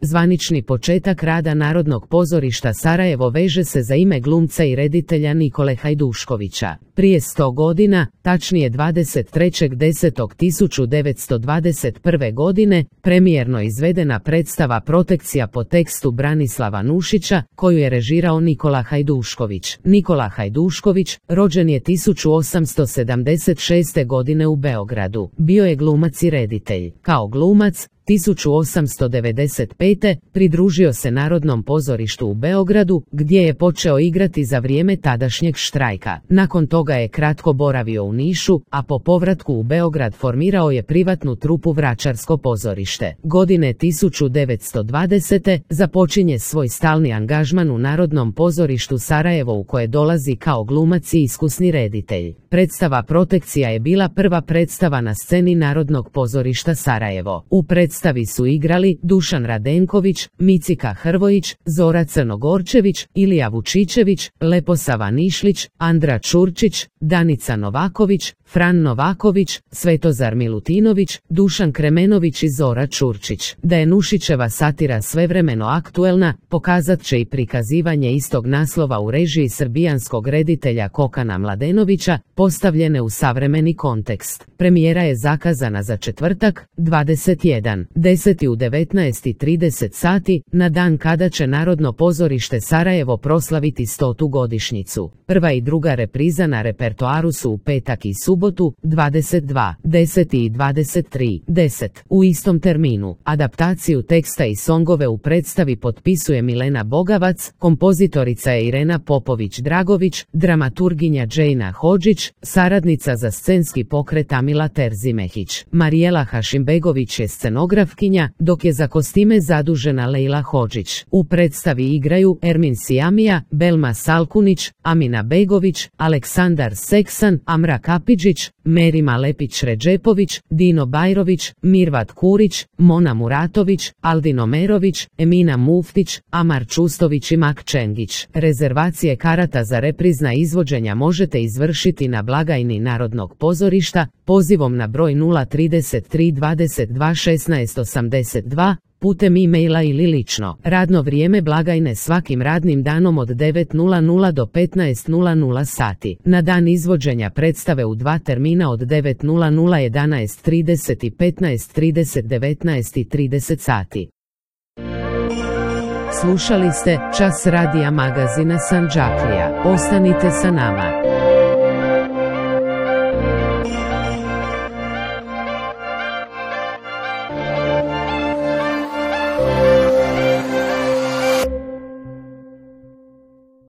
Zvanični početak rada Narodnog pozorišta Sarajevo veže se za ime glumca i reditelja Nikole Hajduškovića. Prije 100 godina, tačnije 23.10.1921. godine, premijerno izvedena predstava Protekcija po tekstu Branislava Nušića, koju je režirao Nikola Hajdušković. Nikola Hajdušković rođen je 1876. godine u Beogradu. Bio je glumac i reditelj. Kao glumac, 1895. pridružio se Narodnom pozorištu u Beogradu, gdje je počeo igrati za vrijeme tadašnjeg štrajka. Nakon toga je kratko boravio u Nišu, a po povratku u Beograd formirao je privatnu trupu Vračarsko pozorište. Godine 1920. započinje svoj stalni angažman u Narodnom pozorištu Sarajevo, u koje dolazi kao glumac i iskusni reditelj. Predstava Protekcija je bila prva predstava na sceni Narodnog pozorišta Sarajevo. U predstavi su igrali Dušan Radenković, Micika Hrvojić, Zora Crnogorčević, Ilija Vučićević, Leposava Nišlić, Andra Čurčić, Danica Novaković, Fran Novaković, Svetozar Milutinović, Dušan Kremenović i Zora Čurčić. Da je Nušićeva satira svevremeno aktuelna, pokazat će i prikazivanje istog naslova u režiji srbijanskog reditelja Kokana Mladenovića, postavljene u savremeni kontekst. Premijera je zakazana za četvrtak, 21.10. u 19:30 sati, na dan kada će Narodno pozorište Sarajevo proslaviti 100. godišnjicu. Prva i druga repriza na repertoaru su u petak i subotu, 22.10 i 23.10. U istom terminu. Adaptaciju teksta i songove u predstavi potpisuje Milena Bogavac, kompozitorica je Irena Popović-Dragović, dramaturginja Džejna Hodžić, saradnica za scenski pokret Amila Terzimehić. Marijela Hašimbegović je scenografkinja, dok je za kostime zadužena Lejla Hodžić. U predstavi igraju Ermin Sijamija, Belma Salkunić, Amina Begović, Aleksandar Seksan, Amra Kapidžić, Merima Lepić-Ređepović, Dino Bajrović, Mirvat Kurić, Mona Muratović, Aldino Merović, Emina Muftić, Amar Čustović i Mak Čengić. Rezervacije karata za reprizna izvođenja možete izvršiti na blagajni Narodnog pozorišta pozivom na broj 033 22 16 82, putem e-maila ili lično. Radno vrijeme blagajne svakim radnim danom od 9:00 do 15:00 sati. Na dan izvođenja predstave u dva termina od 9:00 11:30 i 15:30 19:30 sati. Slušali ste Čas radija magazina Sandžaklija. Ostanite sa nama.